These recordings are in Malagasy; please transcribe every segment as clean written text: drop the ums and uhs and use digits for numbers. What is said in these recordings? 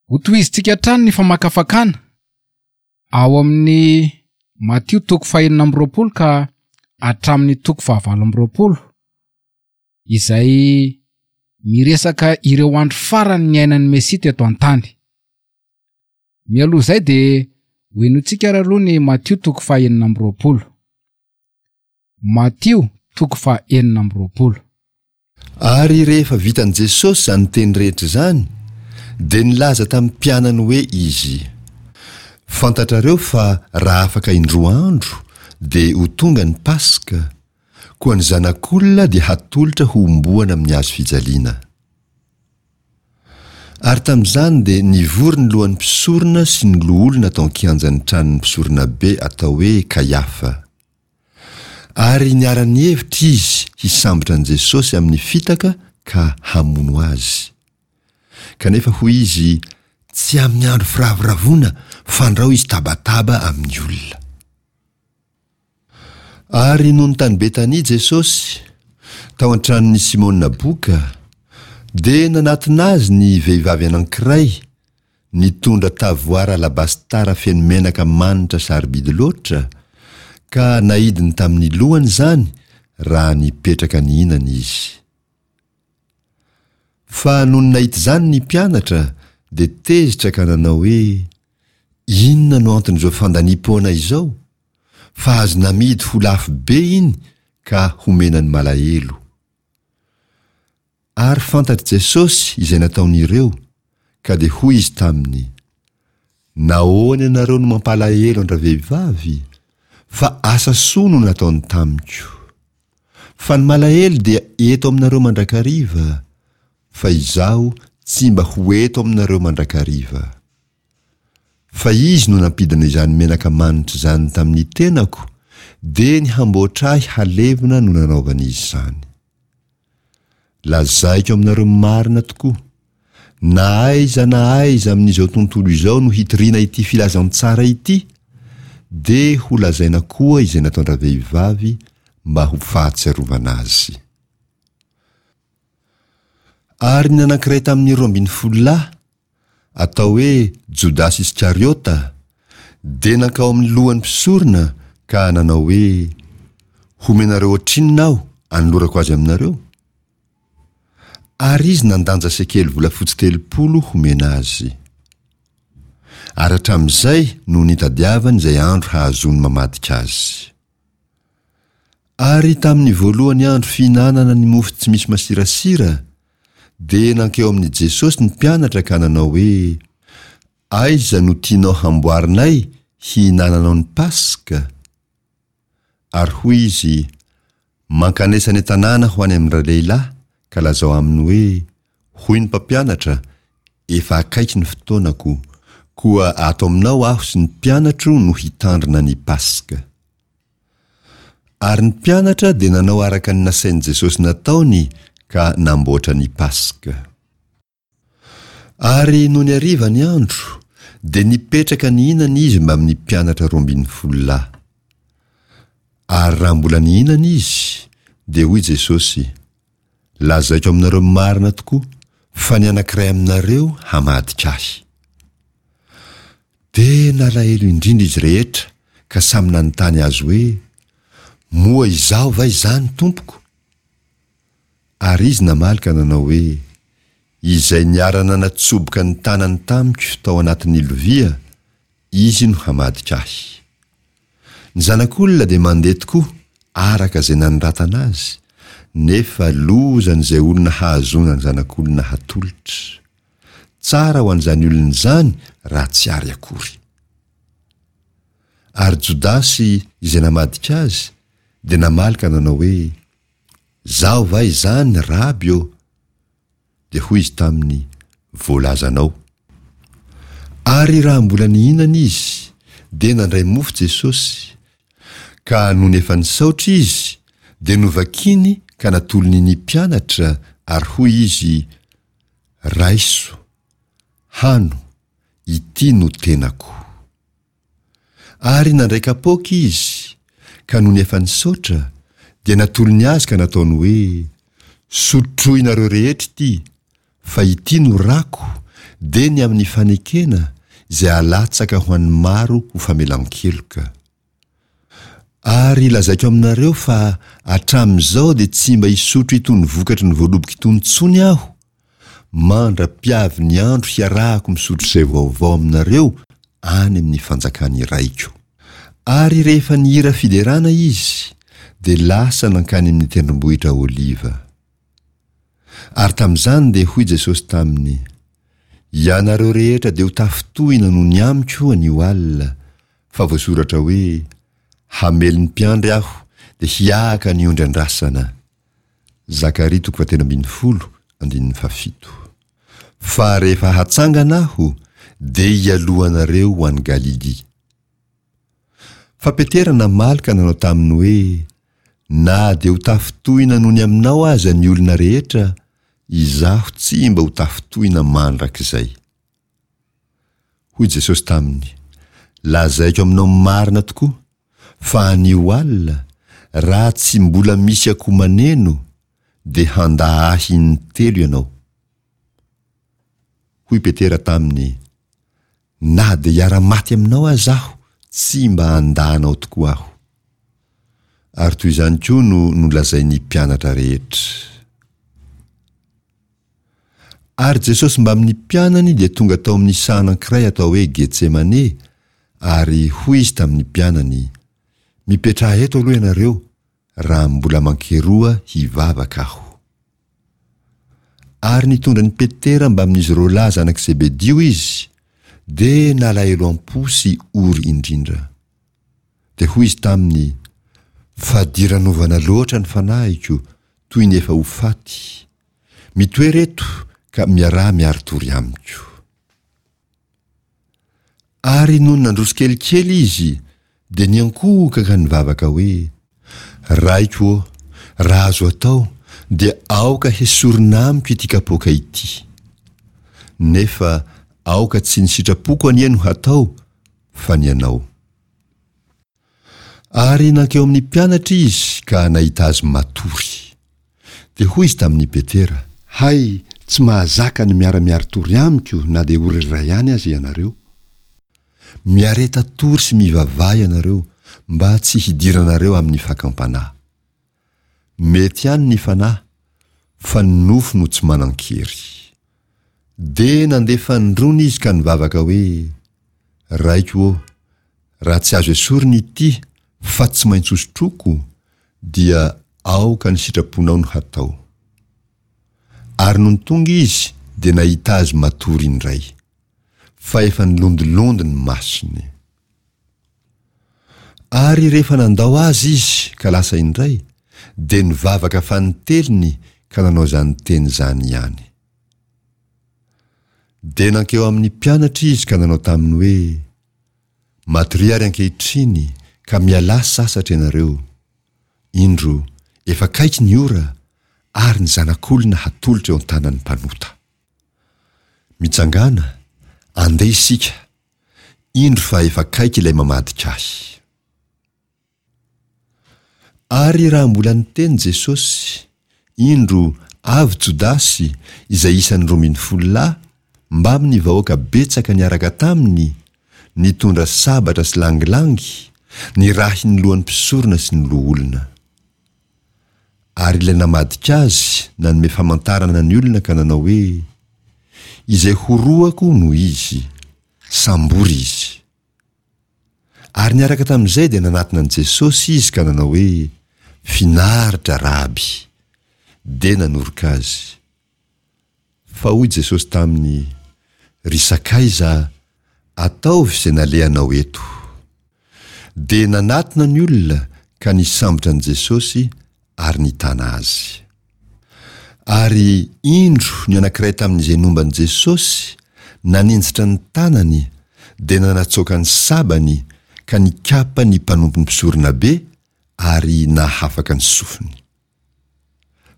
Hotohizintsika hatrany ny famakafakana ao amin'ny Matio toko fahenina amby roapolo ka hatramin'ny toko fahavalo amby roapolo izay miresaka ireo andro farany niainan'ny Mesia teto an-tany. Mialoha izay dia hohenointsika ary aloha ny Matio toko fahenina amby roapolo. Matio toko faha-26. Ary rehefa vitan'i Jesosy izany teny rehetra izany, dia nilaza tamin'ny mpianany hoe Izy, Fantatrareo fa raha afaka indroa andro dia ho tonga ny Paska, koa ny Zanak'olona dia hatolotra hohomboana amin'ny hazo fijaliana. Ary tamin'izany dia nivory ny lohan'ny mpisorona sy ny loholona tao an-kianjan'ny tranon'ny mpisoronabe atao hoe Kaiafa. Ary niara-nihevitra izy hisambotra an'i Jesosy amin'ny fitaka ka hamono azy. Kanefa hoy izy, Tsy amin'ny andro firavoravoana, fandrao izy tabataba amin'ny olona. Ary nony tany Betania Jesosy, tao an-tranon'i Simona boka, dia nanatona azy ny vehivavy anankiray, Nitondra tavoara alabastara feno menaka manitra sarobidy loatra, ka naidiny tamin'ny lohany izany raha nipetraka nihinana izy. Fa nony nahita izany ny mpianatra dia tezitra ka nanao hoe, Inona no anton'izao fandaniam-poana izao? Fa azo namidy ho lafo be iny ka homena ny malahelo. Ary fantatr'i Jesosy izay nataon'ireo, ka dia hoy Izy taminy, Nahoana ianareo no mampalahelo an-dravehivavy? Fa asa soa no nataony tamiko. Fa ny malahelo dia eto aminareo mandrakariva, fa Izaho tsy mba ho eto aminareo mandrakariva. Fa Izy no nampidina izany menaka manitra izany tamin'ny tenako, dia ny hamboatra ahy halevina no nanaovany izany. Lazaiko aminareo marina tokoa, na aiza na aiza amin'izao tontolo izao no hitoriana ity filazantsara ity, dia ho lazaina koa izay nataon-dravehivavy mba ho fahatsiarovana azy. Ary ny anankiray tamin'ny 12 lahy, atao hoe Jodasy Iskariota, dia nankao amin'ny lohan'ny mpisorona ka nanao hoe, Homenareo ohatrinona aho anolorako azy aminareo? Ary izy nandanja sekely volafotsy 30 homena azy. Ary hatramin'izay no nitadiavany izay andro hahazoany mamadika azy. Ary tamin'ny voalohany andro fihinanana ny mofo tsy misy masirasira, dia nankeo amin'i Jesosy ny mpianatra ka nanao hoe, Aiza no tianao hamboarinay hihinananao ny Paska? Ary hoy Izy, Mankanesa any an-tanàna ho any amin-dralehilahy, ka lazao aminy hoe, Hoy ny Mpampianatra, Efa akaiky ny fotoanako, koa ato aminao aho sy ny mpianatro no hitandrina ny Paska. Ary ny mpianatra dia nanao araka ny nasain'i Jesosy nataony ka namboatra ny Paska. Ary nony hariva ny andro, dia nipetraka nihinana izy mbamin'ny mpianatra 12 lahy. Ary raha mbola nihinana izy, dia hoy Jesosy, Lazaiko aminareo marina tokoa fa ny anankiray aminareo hamadika ahy. Dia nalahelo indrindra izy rehetra ka samy nanontany azy hoe, Moa izaho va izany, Tompoko? Ary izy namaly ka nanao hoe, Izay niara-nanatsoboka ny tanany tamiko tao anatin'ny lovia, izy no hamadika ahy. Ny Zanak'olona dia mandeha tokoa araka izay nanoratana azy, nefa lozan'izay olona hahazoana ny Zanak'olona hatolotra. Tsara ho an'izany olona izany raha tsy ary akory. Ary Jodasy izay namadika azy dia namaly ka nanao hoe, Zaho va izany, Raby ô? Dia hoy izy taminy, Voalazanao. Ary raha mbola nihinana izy, dia nandray mofo Jesosy, ka nony efa nisaotra izy, dia novakiny ka natolony ny mpianatra, ary hoy izy, Raiso, hano, ity no tenako. Ary nandray kapoaka izy, ka nony efa nisaotra, dia natolony azy ka nataony hoe, Sotroinareo rehetra ity, fa ity no rako, dia ny amin'ny fanekena izay alatsaka ho an'ny maro ho famelan-keloka. Ary lazaiko aminareo fa hatramin'izao dia tsy mba hisotro itony vokatry ny voaloboka itony intsony aho, mandra-piavy ny andro hiarahako misotro izay vaovao aminareo any amin'ny fanjakan'ny Raiko. Ary rehefa nihira fiderana izy, dia lasa nankany amin'ny tendrombohitra Oliva. Ary tamin'izany dia hoy Jesosy taminy, Ianareo rehetra dia ho tafintohina noho ny amiko anio alina, fa voasoratra hoe, Hamely ny mpiandry aho, dia hiahaka ny ondry andrasana. Zakaria toko fahatelo ambin'ny folo, andininy fahafito. Fa rehefa hatsangana aho, dia hialoha anareo ho any Galilia. Fa Petera namaly ka nanao taminy hoe, Na dia ho tafintohina noho ny aminao aza ny olona rehetra, izaho tsy mba ho tafintohina mandrakizay. Hoy Jesosy taminy, Lazaiko aminao marina tokoa, fa anio alina, raha tsy mbola misy akoho maneno, dia handà Ahy intelo ianao. Hoy Petera taminy, Na dia hiara-maty aminao aza aho, tsy mba handà anao tokoa aho. Ary toy izany koa no nolazain'ny mpianatra rehetra. Ary Jesosy mbamin'ny mpianany dia tonga tao amin'ny saha anankiray atao hoe Getsemane, ary hoy Izy tamin'ny mpianany, Mipetraha eto aloha ianareo, raha mbola mankeroa hivavaka Aho. Ary nitondra an'i Petera mbamin'izy roalahy zanak'i Zebedio Izy, dia nalahelo am-po sy ory indrindra. Dia hoy Izy taminy, Fadiranovana loatra ny fanahiko, toy ny efa ho faty. Mitoera eto ka miaraha miari-tory amiko. Ary nony nandroso kelikely izy, dia niankohoka ka nivavaka hoe, Raiko ô, raha azo atao, dia aoka hesorina amiko ity kapoaka ity. Nefa aoka tsy ny sitrapoko anie no hatao, fa ny Anao. Ary nankeo amin'ny mpianatra izy ka nahita azy matory. Dia hoy izy tamin'i Petera. Hay, tsy mahazaka ny miara-miari-tory amiko na dia ora iray ihany aza ianareo. Miareta tory sy mivavaha ianareo mba tsy hidiranareo amin'ny fakam-panahy. Mety ihany ny fanahy, fa ny nofo no tsy manan-kery. Dia nandeha fanindroany izy ka nivavaka hoe, Raiko ô, raha tsy azo esorina ity fa tsy maintsy hosotroiko, dia aoka ny sitraponao no hatao. Ary nony tonga izy dia nahita azy matory indray, fa efa nilondilondy ny masony. Ary rehefa nandao azy izy ka lasa indray, dia nivavaka fanintelony ka nanao izany teny izany ihany. Dia nankeo amin'ny mpianatra izy ka nanao taminy hoe, Matoria ary ankehitriny ka mialà sasatra ianareo. Indro, efa akaiky ny ora, ary ny Zanak'olona hatolotra eo an-tanan'ny mpanota. Mitsangàna, andeha isika, indro fa efa akaiky ilay mamadika ahy. Ary raha mbola niteny Jesosy, indro, avy Jodasy, izay isan'ny 12 lahy, mbamin'ny vahoaka betsaka niaraka taminy, nitondra sabatra sy langilangy, nirahin'ny lohan'ny mpisorona sy ny loholona. Ary ilay namadika azy nanome famantarana ny olona ka nanao hoe, Izay horohako no izy, sambory izy. Ary niaraka tamin'izay dia nanatona an'i Jesosy izy ka nanao hoe, Finaritra, Raby! Dia nanoroka azy. Fa hoy Jesosy taminy, Ry sakaiza, ataovy izay nalehanao eto. Dia nanatona ny olona ka nisambotra an'i Jesosy ary nitana azy. Ary indro ny anankiray tamin'izay nomba an'i Jesosy naninjitra ny tanany dia nanatsoaka ny sabany ka nikapa ny mpanompon'ny mpisoronabe ary nahafaka ny sofiny.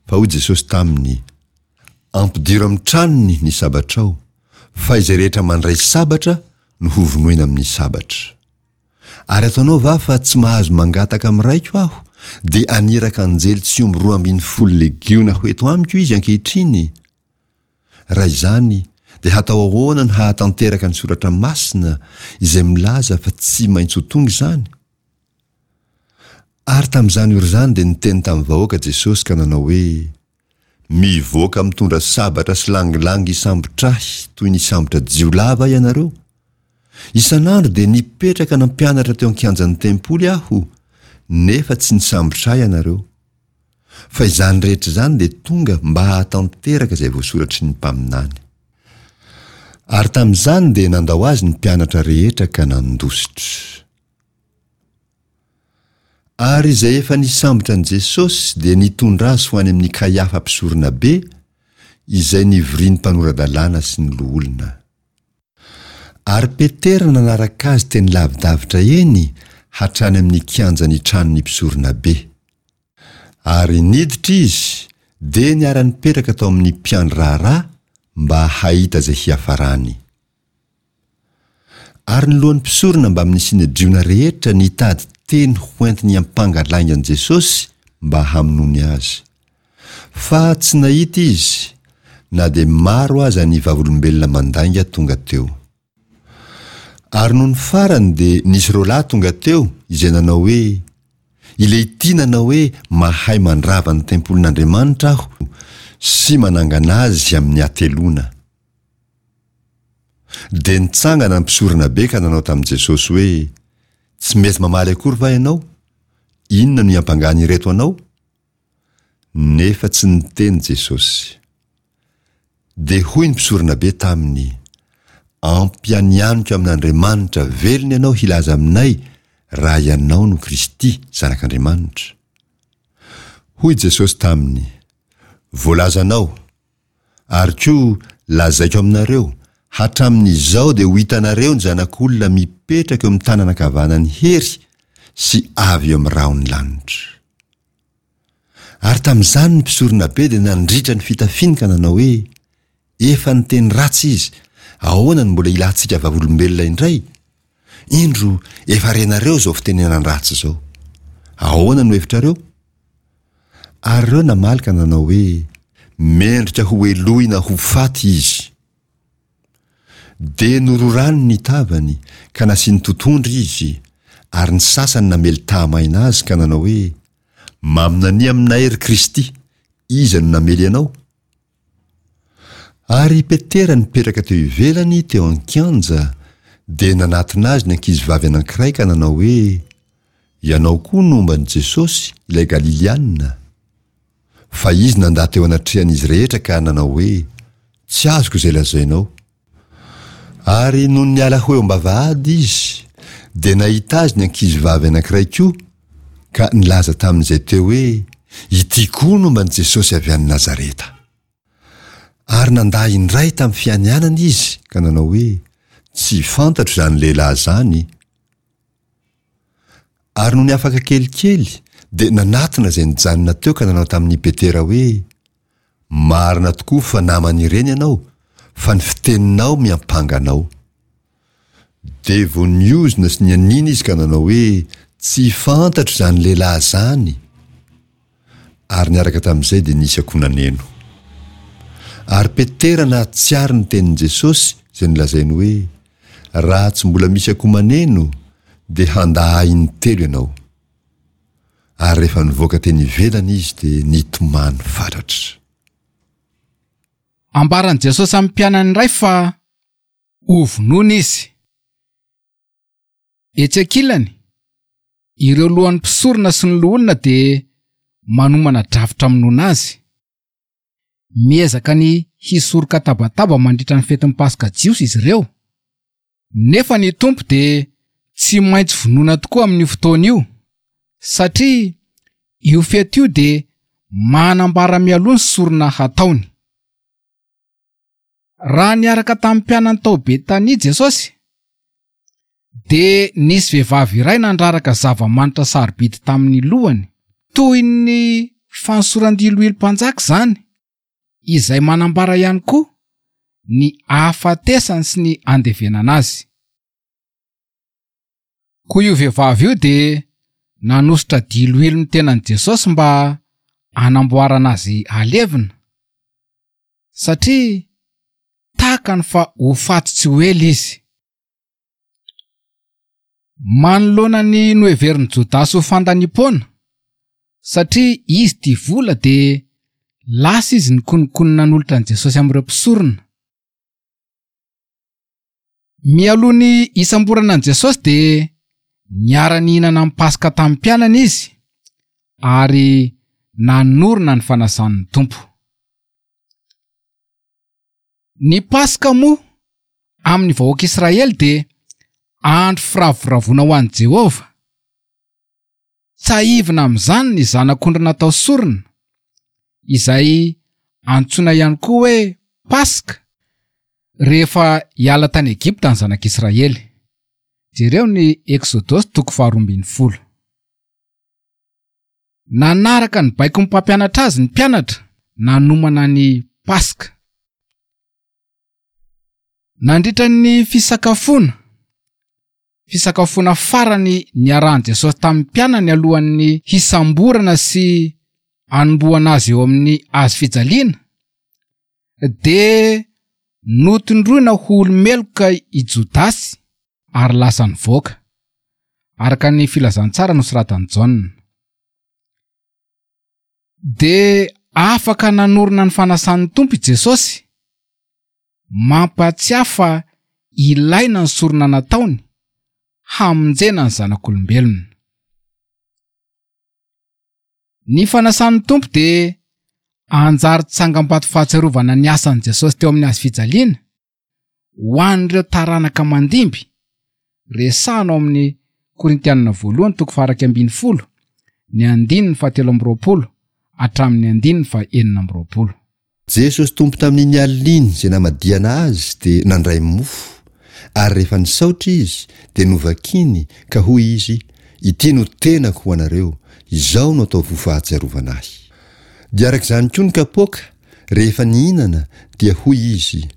Fa hoy Jesosy taminy, Ampidiro amin'ny tranony ny sabatrao, fa izay rehetra mandray sabatra no hovonoina amin'ny sabatra. Ary ataonao va fa tsy mahazo mangataka amin'ny Raiko aho, dia haniraka anjely tsy omby 12 legiona ho eto amiko izy ankehitriny? Raha izany, Dia hatao ahoana no hahatanteraka ny Soratra Masina izay milaza fa tsy maintsy ho tonga izany? Ary tamin'izany ora izany dia niteny tamin'ny vahoaka Jesosy ka nanao hoe, Mivoaka mitondra sabatra sy langilangy hisambotra ahy toy ny hisambotra jiolahy va ianareo? Isan'andro dia nipetraka nampianatra teo an-kianjan'ny tempoly aho, nefa tsy nisambotra ahy ianareo. Fa izany rehetra izany dia tonga mba hahatanteraka izay voasoratry ny mpaminany. Ary tamin'izany dia nandao azy ny mpianatra rehetra ka nandositra. Ary izay efa nisambotra an'i Jesosy dia nitondra azy ho any amin'i Kaiafa mpisoronabe, izay nivorian'ny mpanora-dalàna sy ny loholona. Ary Petera nanaraka azy teny lavidavitra eny hatrany amin'ny kianjan'ny tranon'ny mpisoronabe. Ary niditra izy, dia niara-nipetraka tao amin'ny mpiandry raharaha mba hahita izay hiafarany. Ary ny lohan'ny mpisorona mbamin'ny Synedriona rehetra nitady teny hoentiny hiampanga lainga an'i Jesosy mba hamonoany azy. Fa tsy nahita izy, na dia maro aza ny vavolombelona mandainga tonga teo. Ary nony farany dia nisy roalahy tonga teo izay nanao hoe, Ilehity nanao hoe mahay mandrava ny tempolin'Andriamanitra aho sy manangana azy amin'ny hateloana. Dia nitsangana ny mpisoronabe ka nanao tamin'i Jesosy hoe, Tsy mety mamaly akory va ianao? Inona no iampangan'ireto anao? Nefa tsy niteny Jesosy. Dia hoy ny mpisoronabe taminy, Ampianianiko amin'Andriamanitra velona ianao hilaza aminay raha ianao no Kristy, Zanak'Andriamanitra. Hoy Jesosy taminy, Voalazanao, Ary koa lazaiko aminareo, hatramin'izao dia ho hitanareo ny Zanak'olona mipetraka eo amin'ny tanana ankavanan'ny hery sy avy eo amin'ny rahon'ny lanitra. Ary tamin'izany ny mpisoronabe dia nandritra ny fitafiany ka nanao hoe, Efa niteny ratsy izy, ahoana no mbola ilantsika vavolombelona indray? Indro, efa renareo izao fitenenan-dratsy izao. Ahoana no hevitrareo? Ary ireo namaly ka nanao hoe, Mendrika ho helohina ho faty izy. Dia nororany ny tavany, ka nasiany totohondry izy, ary ny sasany namely tahamaina azy ka nanao hoe, Maminania aminay, ry Kristy, iza no namely anao? Ary i Petera nipetraka teo ivelany teo an-kianja, dia nanatona azy ny ankizivavy anankiray ka nanao hoe, Ianao koa nomba an'i Jesosy, ilay Galiliana. Fa izy nandà teo anatrehan'izy rehetra ka nanao hoe, Tsy azoko izay lazainao. Ary nony niala ho eo am-bavahady izy, dia nahita azy ny ankizivavy anankiray koa, ka nilaza tamin'izay teo hoe, Ity koa nomba an'i Jesosy avy any Nazareta. Ary nandà indray tamin'ny fianianana izy ka nanao hoe, Tsy fantatro izany lehilahy izany. Ary nony afaka kelikely, dia nanatona izay nijanona teo ka nanao tamin'i Petera hoe, Marina tokoa fa naman'ireny ianao, fa ny fiteninao miampanga anao. Dia vao niozona sy nianiana izy ka nanao hoe, Tsy fantatro izany lehilahy izany. Ary niaraka tamin'izay dia nisy akoho naneno. Ary Petera nahatsiaro ny tenin'i Jesosy izay nolazainy hoe, Raha tsy mbola misy akoho maneno, dia handà ahy intelo ianao. Ary rehefa nivoaka teny ivelany izy dia nitomany fatratra. Ambaran'i Jesosy amin'ny mpianany iray fa hovonoina izy. Etsy ankilany, ireo lohan'ny mpisorona sy ny loholona dia manomana drafitra hamonoana azy. Miezaka ny hisoroka tabataba mandritra ny fetin'ny Paska jiosy izy ireo. Nefa ny Tompo dia tsy maintsy vonoina tokoa amin'io fotoana io, satria io fety io dia manambara mialoha ny sorona hataony. Raha niaraka tamin'ny mpianany tao Betania Jesosy, dia nisy vehivavy iray nandraraka zava-manitra sarobidy tamin'ny lohany, toy ny fanosoran-diloilo mpanjaka izany, izay manambara ihany koa ny ahafatesany sy ny andevenana azy. Koa io vehivavy io dia nanosotra diloilo ny tenan'i Jesosy mba hanamboarana azy halevina. Satria. Takany fa ho faty tsy ho ela izy. Manoloana ny noheverin'i Jodasy ho fandaniam-poana, satria izy tia vola dia lasa izy nikonokonona nanolotra an'i Jesosy amin'ireo mpisorona. Mialoha ny hisamborana an'i Jesosy dia niara-nihinana ny Paska tamin'ny mpianany izy ary nanorina ny fanasan'ny Tompo. Ny Paska moa amin'ny vahoaka Israely dia andro firavoravoana ho an'i Jehovah. Tsahivina amin'izany ny zanak'ondry natao sorona, izay antsoina ihany koa hoe Paska, rehefa hiala tany Egypta ny zanak'Israely. Jereo ny Eksodosy toko faharoa ambin'ny folo. Nanaraka ny baikon'ny mpampianatra azy ny mpianatra nanomana ny Paska. Nandritra ny fisakafoana, fisakafoana farany niarahan'i Jesosy tamin'ny mpianany alohan'ny hisamborana sy hanombohana azy eo amin'ny hazo fijaliana, dia notondroina ho olo-meloka i Jodasy ary lasa nivoaka, araka ny filazantsara nosoratan'i Jaona. Dia afaka nanorina ny fanasan'ny Tompo i Jesosy, mampahatsiahy fa ilaina ny sorona nataony hamonjena ny zanak'olombelona. Ny fanasan'ny Tompo dia anjary tsangambato fahatsiarovana ny asan'i Jesosy teo amin'ny hazo fijaliana, ho an'ireo taranaka mandimby, resahana ao amin'ny Korintianina voalohany toko faha-11, ny andininy fahatelo amby roapolo hatramin'ny andininy faha-26. Jesosy Tompo tamin'iny alina iny izay namadihana Azy dia nandray mofo, ary rehefa nisaotra Izy dia novakiny ka hoy Izy, Ity no tenako ho anareo, izao no ataovy ho fahatsiarovana Ahy. Dia araka izany koa ny kapoaka, Rehefa nihinana, dia hoy izy,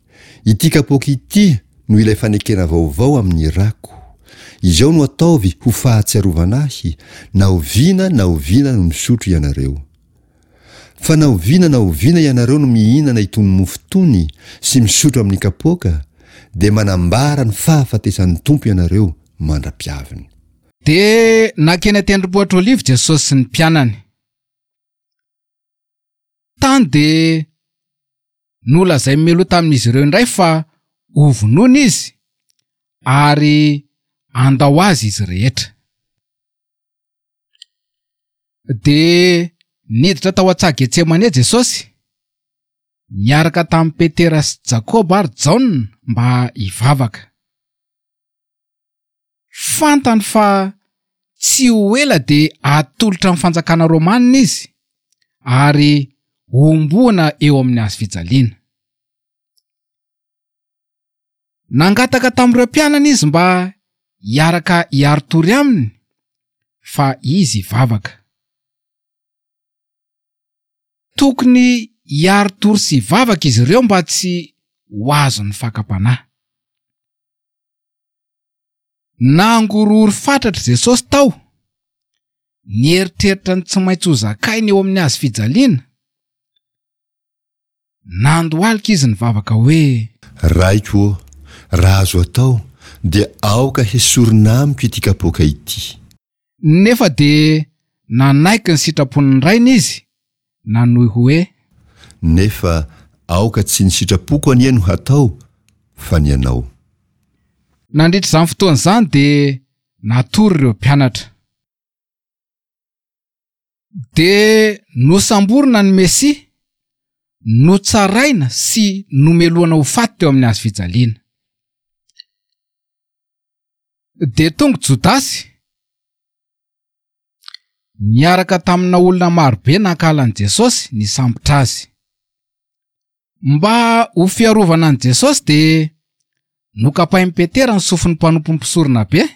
Ity kapoaka ity no ilay fanekena vaovao amin'ny rako. Izao no ataovy ho fahatsiarovana ahy, na oviana na oviana no misotro ianareo. Fa na oviana na oviana ianareo no mihinana itony mofo itony sy misotro amin'ny kapoaka, dia manambara ny fahafatesan'ny Tompo ianareo mandra-piaviny. Dia nankeny an-tendrombohitra Oliva Jesosy sy ny mpianany. Tany dia nolazain'i Meloa tamin'izy ireo indray fa hovonoina izy ary handao azy izy rehetra. Dia niditra tao an-tsaha Getsemane Jesosy, niaraka tamin'i Petera sy Jakoba ary Jaona mba hivavaka. Fantany fa tsy ho ela dia hatolotra amin'ny fanjakana romanina izy ary hohomboana eo amin'ny hazo fijaliana. Nangataka tamin'ireo mpianany izy mba hiaraka hiari-tory aminy fa izy hivavaka. Tokony hiari-tory sy hivavaka izy ireo mba tsy ho azon'ny fakam-panahy. Nangorohoro fatratra Jesosy tao, nieritreritra ny tsy maintsy ho zakainy eo amin'ny hazo fijaliana. Nandohalika izy nivavaka hoe. Raiko ô, raha azo atao, dia aoka hesorina amiko ity kapoaka ity. Nefa dia nanaiky ny sitrapon'ny Rainy izy, nanohy hoe. Nefa aoka tsy ny sitrapoko anie no hatao, fa ny Anao. Nandritra izany fotoana izany dia natory ireo mpianatra. Dia nosamborina ny Mesia, notsaraina sy nomelohana ho faty teo amin'ny hazo fijaliana. Dia tonga Jodasy, niaraka tamina olona marobe nankahala an'i Jesosy nisambotra azy. Mba ho fiarovana an'i Jesosy dia nokapain'i Petera ny sofin'ny mpanompon'ny mpisoronabe,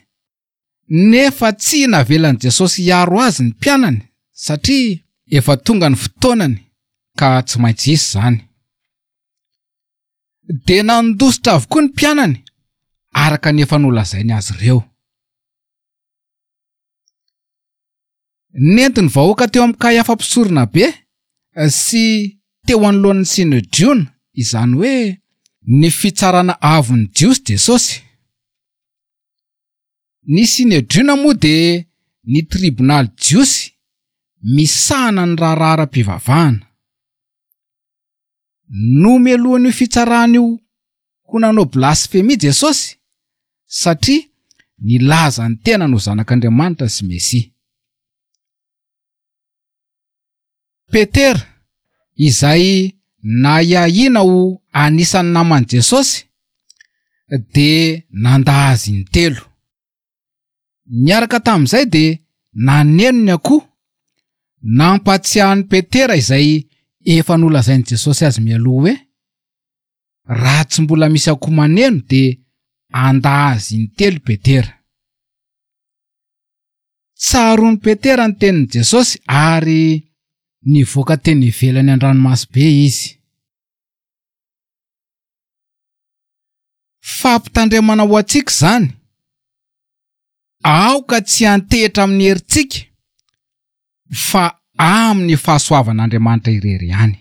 nefa tsy navelan'i Jesosy hiaro azy ny mpianany satria efa tonga ny fotoanany ka tsy maintsy hisy izany. Dia nandositra avokoa ny mpianany araka ny efa nolazainy azy ireo. Nentin'ny vahoaka teo amin'i Kaiafa mpisoronabe sy teo anoloan'ny Synedriona, izany hoe Ny fitsarana avon'ny Jiosy Jesosy. Ny Synedriona moa dia ny tribonaly jiosy misahana ny raharaha ara-pivavahana. Nomelohin'io fitsarana io ho nanao blasfemia Jesosy satria nilaza ny tenany ho Zanak'Andriamanitra sy Mesia. Petera, izay nahiahiana ho anisan'ny naman'i Jesosy, dia nandà azy intelo. Niaraka tamin'izay dia naneno ny akoho, nampahatsiahy an'i Petera izay efa nolazain'i Jesosy azy mialoha hoe, Raha tsy mbola misy akoho maneno dia handà azy intelo i Petera. Tsaroan'i Petera ny tenin'i Jesosy ary nivoaka teny ivelany an-dranomaso-be izy. Fampitandremana ho antsika izany, aoka tsy hiantehitra amin'ny herintsika fa amin'ny fahasoavan'Andriamanitra irery ihany.